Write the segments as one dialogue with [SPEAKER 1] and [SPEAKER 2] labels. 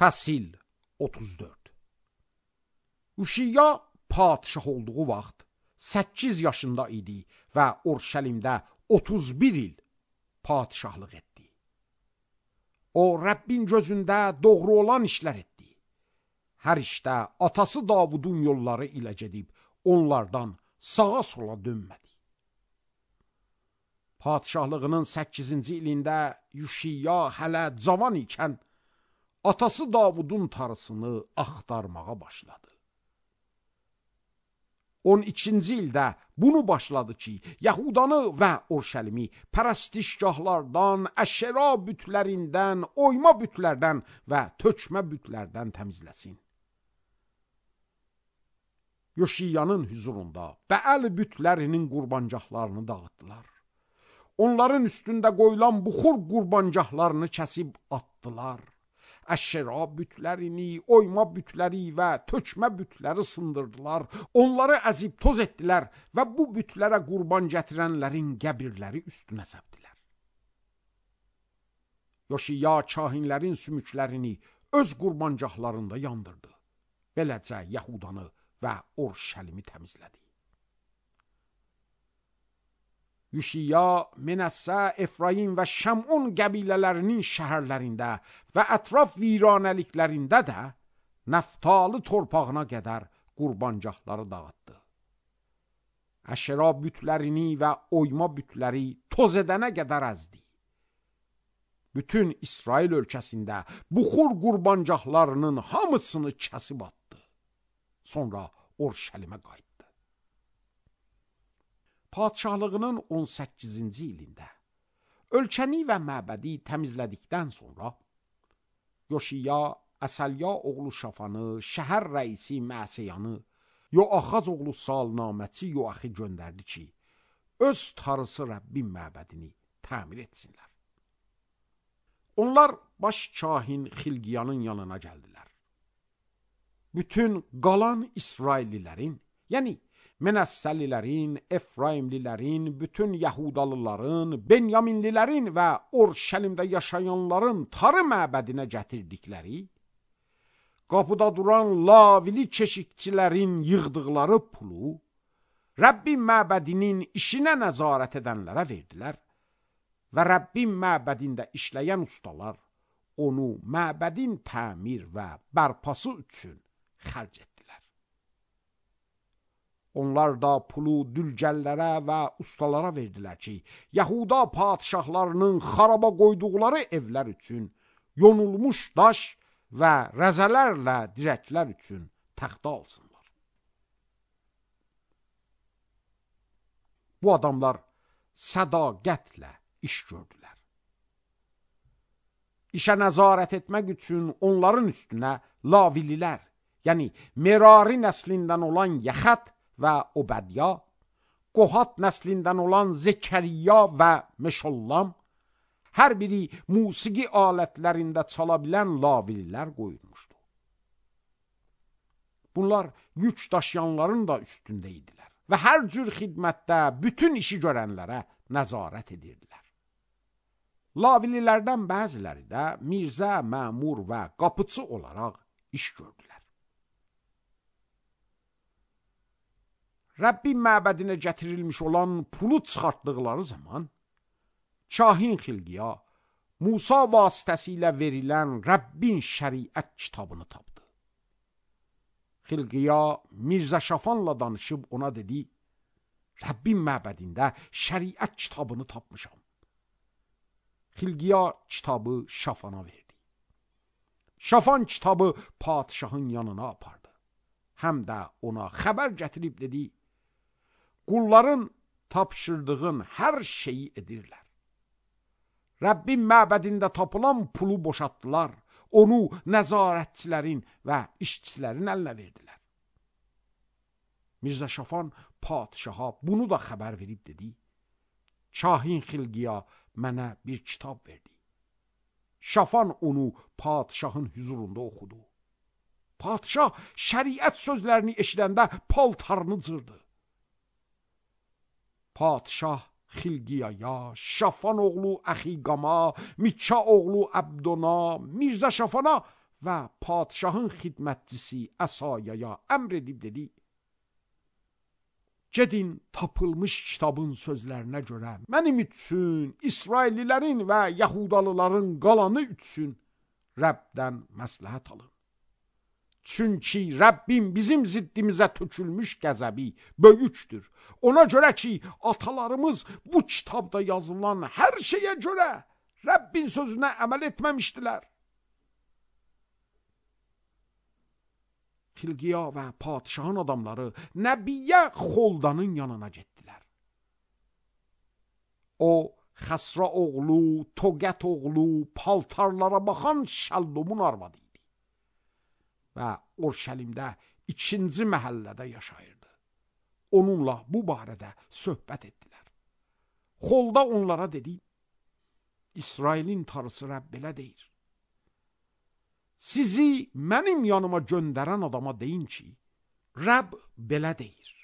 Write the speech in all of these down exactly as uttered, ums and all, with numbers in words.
[SPEAKER 1] Fəsil otuz dörd. Uşiyya padişah olduğu vaxt səkkiz yaşında idi və Urşəlimdə otuz bir il padişahlıq etdi. O, Rəbbin gözündə doğru olan işlər etdi. Hər işdə atası Davudun yolları ilə gedib, onlardan sağa sola dönmədi. Padişahlığının səkkizinci ilində Uşiyya hələ cavan ikən, atası Davudun tarısını axtarmağa başladı. on ikinci ildə bunu başladı ki, Yahudanı və Urşəlimi pərəstişgahlardan, əşəra bütlərindən, oyma bütlərdən və tökmə bütlərdən təmizləsin. Uşiyyanın hüzurunda Bəəl bütlərinin qurbancaqlarını dağıtdılar. Onların üstündə qoyulan buxur qurbancaqlarını kəsib atdılar. Əşəra bütlərini, oyma bütləri və tökmə bütləri sındırdılar. Onları əzib toz etdilər və bu bütlərə qurban gətirənlərin qəbirləri üstünə səpdilər. Uşiyya kahinlərin sümüklərini öz qurbancaqlarında yandırdı. Beləcə Yahudanı və Urşəlimi təmizlədi. Uşiyya, Menəssə, Efraim və Şəmun qəbilələrinin şəhərlərində və ətraf viranəliklərində də Nəftalı torpağına qədər qurbancaqları dağıtdı. Əşəra bütlərini və oyma bütləri toz edənə qədər əzdi. Bütün İsrail ölkəsində buxur qurbancaqlarının hamısını kəsib atdı. Sonra Urşəlimə qayıtdı. Padişahlığının on səkkizinci ilində ölkəni və məbədi təmizlədikdən sonra Uşiyya Əsəlya oğlu Şafanı, şəhər rəisi Məsəyanı, Yoaxaz oğlu Salnaməçi Yoaxi göndərdi ki, öz tarısı Rəbbin məbədini təmir etsinlər. Onlar baş kahin Xilqiyanın yanına gəldilər. Bütün qalan İsraillilərin, yəni Menəssəlilərin, Efraimlilərin, bütün Yahudalıların, Benyaminlilərin və Urşəlimdə yaşayanların tarı məbədinə gətirdikləri, qapıda duran lavili keşikçilərin yığdıqları pulu Rəbbin məbədinin işinə nəzarət edənlərə verdilər və Rəbbin məbədində işləyən ustalar onu məbədin təmir və bərpası üçün xərc etdilər. Onlar da pulu dülgəllərə və ustalara verdilər ki, Yahuda padişahlarının xaraba qoyduqları evlər üçün yonulmuş daş və rəzələrlə dirəklər üçün təxta alsınlar. Bu adamlar sədaqətlə iş gördülər. İşə nəzarət etmək üçün onların üstünə lavililər, yəni Merari nəslindən olan Yaxət və Obədya, Qohat nəslindən olan Zekəriya və Meşollam, hər biri musiqi alətlərində çala bilən lavillər qoyulmuşdu. Bunlar yük daşıyanların da üstündə idilər və hər cür xidmətdə bütün işi görənlərə nəzarət edirdilər. Lavililərdən bəziləri də Mirzə, məmur və qapıçı olaraq iş gördülər. Rəbbin məbədinə gətirilmiş olan pulu çıxartdıqları zaman, kahin Xilqiya Musa vasitəsilə verilən Rəbbin şəriət kitabını tapdı. Xilqiya Mirzə Şafanla danışıb ona dedi, Rəbbin məbədində şəriət kitabını tapmışam. Xilqiya kitabı Şafana verdi. Şafan kitabı padişahın yanına apardı. Həm də ona xəbər gətirib dedi, qulların tapşırdığın hər şeyi edirlər. Rəbbin məbədində tapılan pulu boşaltdılar, onu nəzarətçilərin və işçilərin əlinə verdilər. Mirzə Şafan padişaha bunu da xəbər verib dedi, kahin Xilqiya mənə bir kitab verdi. Şafan onu padişahın hüzurunda oxudu. Padişah şəriət sözlərini eşidəndə paltarını cırdı. Padişah Xilqiyaya, Şafan oğlu Əxiqama, Mikka oğlu Əbdona, Mirzə Şafana və padişahın xidmətçisi Əsayaya əmr edib dedi: gedin tapılmış kitabın sözlərinə görə mənim üçün, İsraillilərin və Yahudalıların qalanı üçün Rəbdən məsləhət alın. Çünki Rəbbim bizim ziddimizə tökülmüş qəzəbi böyükdür. Ona görə ki, atalarımız bu kitabda yazılan hər şeyə görə Rəbbin sözünə əməl etməmişdilər. Xilqiya və padişahın adamları Nəbiyyə Xoldanın yanına getdilər. O, Xəsra oğlu, Toqət oğlu, paltarlara baxan Şəllumun arvadı idi və Orşəlimdə ikinci məhəllədə yaşayırdı. Onunla bu barədə söhbət etdilər. Xolda onlara dedi: İsrailin Tanrısı Rəbb belə deyir: sizi mənim yanıma göndərən adama deyin ki, Rəbb belə deyir: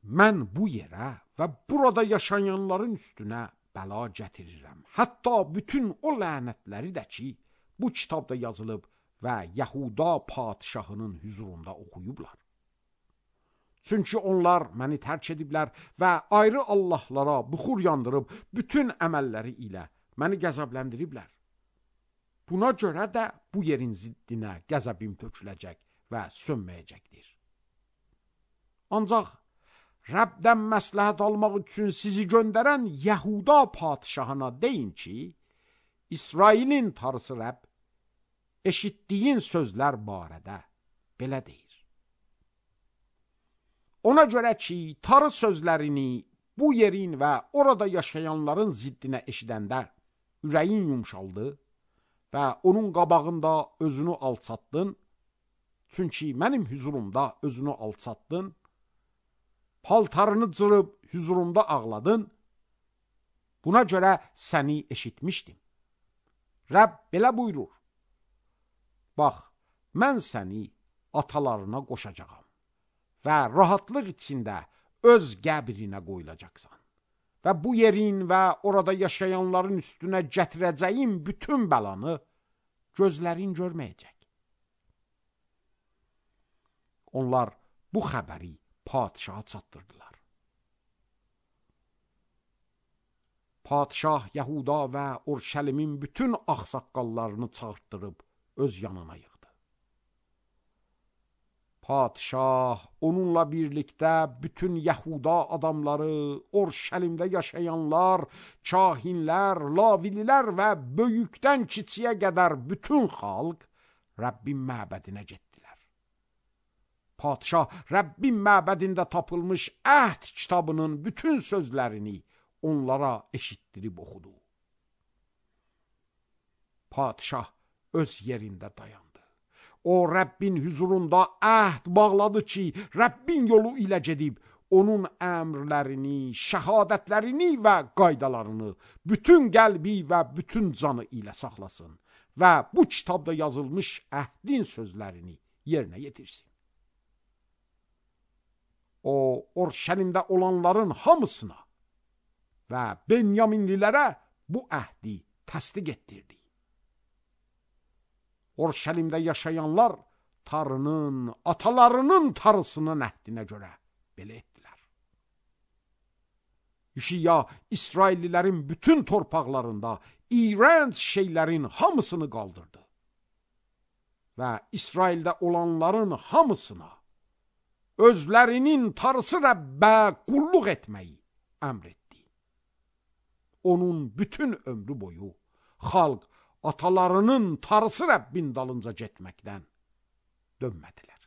[SPEAKER 1] mən bu yerə və burada yaşayanların üstünə bəla gətirirəm. Hətta bütün o lənətləri də ki, bu kitabda yazılıb və Yahuda padişahının huzurunda oxuyublar. Çünki onlar məni tərk ediblər və ayrı allahlara buxur yandırıb bütün əməlləri ilə məni qəzəbləndiriblər. Buna görə də bu yerin ziddinə qəzəbim töküləcək və sönməyəcəkdir. Ancaq Rəbdən məsləhət almaq üçün sizi göndərən Yahuda padişahına deyin ki, İsrailin Tanrısı Rəbb eşitdiyin sözlər barədə belə deyir: ona görə ki, Tanrı sözlərini bu yerin və orada yaşayanların ziddinə eşidəndə ürəyin yumşaldı və onun qabağında özünü alçatdın, çünki mənim huzurumda özünü alçatdın, paltarını cırıb huzurumda ağladın, buna görə səni eşitmişdim. Rəbb belə buyurur: bax, mən səni atalarına qoşacağam və rahatlıq içində öz qəbrinə qoyulacaqsan və bu yerin və orada yaşayanların üstünə gətirəcəyim bütün bəlanı gözlərin görməyəcək. Onlar bu xəbəri padişaha çatdırdılar. Padişah Yahuda və Orşəlimin bütün ağsaqqallarını çağırtdırıb öz yanına yığdı. Padişah onunla birlikdə bütün Yahuda adamları, Orşəlimdə yaşayanlar, kahinlər, lavililər və böyükdən kiçiyə qədər bütün xalq Rəbbin məbədinə getdilər. Padişah Rəbbin məbədində tapılmış əhd kitabının bütün sözlərini onlara eşitdirib oxudu. Padişah öz yerində dayandı. O, Rəbbin huzurunda əhd bağladı ki, Rəbbin yolu ilə gedib, onun əmrlərini, şəhadətlərini və qaydalarını bütün qəlbi və bütün canı ilə saxlasın və bu kitabda yazılmış əhdin sözlərini yerinə yetirsin. O, Orşəlimdə olanların hamısına və Benyaminlilərə bu əhdi təsdiq etdirdi. Orşəlimdə yaşayanlar Tanrının, atalarının Tanrısının əhdinə görə belə etdilər. Üşiya İsraillilərin bütün torpaqlarında iyrənc şeylərin hamısını qaldırdı və İsraildə olanların hamısına özlərinin Tanrısı Rəbbə qulluq etməyi əmr etdi. Onun bütün ömrü boyu xalq atalarının Tanrısı Rəbbin dalınca getməkdən dönmədilər.